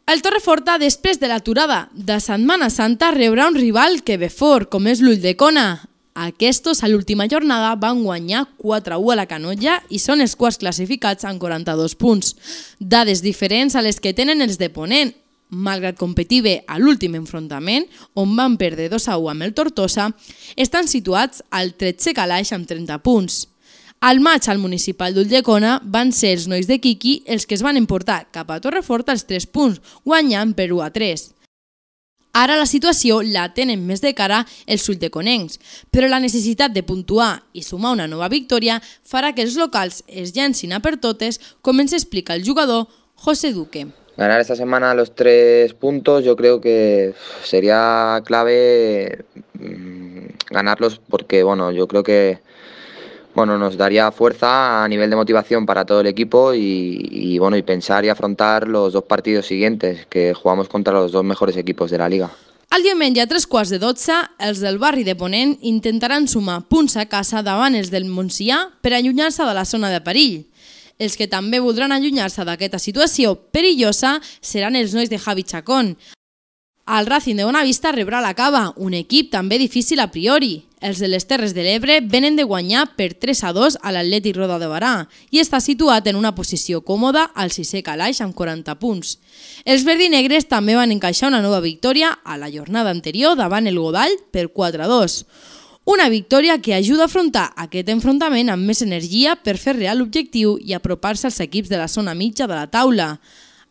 El Torreforta, després de l'aturada de Setmana Santa, rebrà un rival que ve fort, com és l'Ulldecona. Aquests, a l'última jornada, van guanyar 4-1 a la Canolla i són els quarts classificats amb 42 punts. Dades diferents a les que tenen els de Ponent. Malgrat competir bé a l'últim enfrontament, on van perdre 2-1 amb el Tortosa, estan situats al 13è calaix amb 30 punts. Al maig al municipal d'Ulldecona van ser els nois de Quiqui els que es van emportar cap a Torreforta els 3 punts, guanyant per 1-3. Ara la situació la tenen més de cara els uldeconencs, però la necessitat de puntuar i sumar una nova victòria farà que els locals es llancin a per totes, com ens explica el jugador José Duque. Ganar esta semana los 3 puntos yo creo que sería clave ganarlos porque yo creo que nos daría fuerza a nivel de motivación para todo el equipo y pensar y afrontar los 2 partidos siguientes que jugamos contra los 2 mejores equipos de la liga. El diumenge a 3:15, els del barri de Ponent intentaran sumar punts a casa davant els del Montsià per allunyar-se de la zona de perill. Els que també voldran allunyar-se d'aquesta situació perillosa seran els nois de Javi Chacón. El Racing de Bonavista rebrà la Cava, un equip també difícil a priori. Els de les Terres de l'Ebre venen de guanyar per 3-2 a l'Atlètic Roda de Barà i està situat en una posició còmoda al 6è calaix amb 40 punts. Els verdinegres també van encaixar una nova victòria a la jornada anterior davant el Godall per 4-2. Una victòria que ajuda a afrontar aquest enfrontament amb més energia per fer real l'objectiu i apropar-se als equips de la zona mitja de la taula.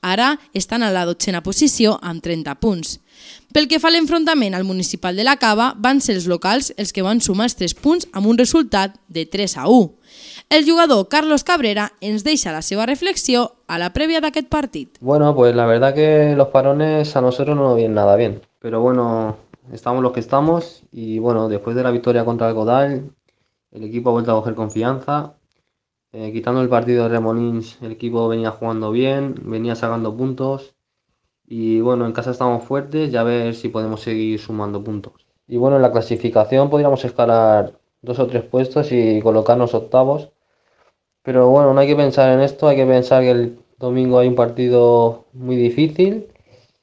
Ara estan a la 12a posició amb 30 punts. Pel que fa a l'enfrontament al municipal de la Cava, van ser els locals els que van sumar els 3 punts amb un resultat de 3-1. El jugador Carlos Cabrera ens deixa la seva reflexió a la prèvia d'aquest partit. Pues la verdad que los parones a nosotros no nos vienen nada bien, pero estamos los que estamos y después de la victoria contra el Godall, el equipo ha vuelto a coger confianza. Quitando el partido de Remolins, el equipo venía jugando bien, venía sacando puntos y en casa estamos fuertes y a ver si podemos seguir sumando puntos. Y en la clasificación podríamos escalar 2 o 3 puestos y colocarnos octavos, pero no hay que pensar en esto, hay que pensar que el domingo hay un partido muy difícil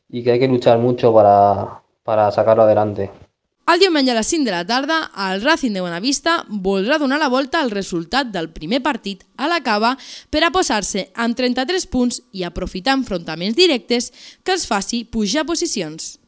y que hay que luchar mucho para sacarlo adelante. El diumenge a les 5 de la tarda, el Racing de Bonavista voldrà donar la volta al resultat del primer partit a la Cava per a posar-se amb 33 punts i aprofitar enfrontaments directes que els faci pujar posicions.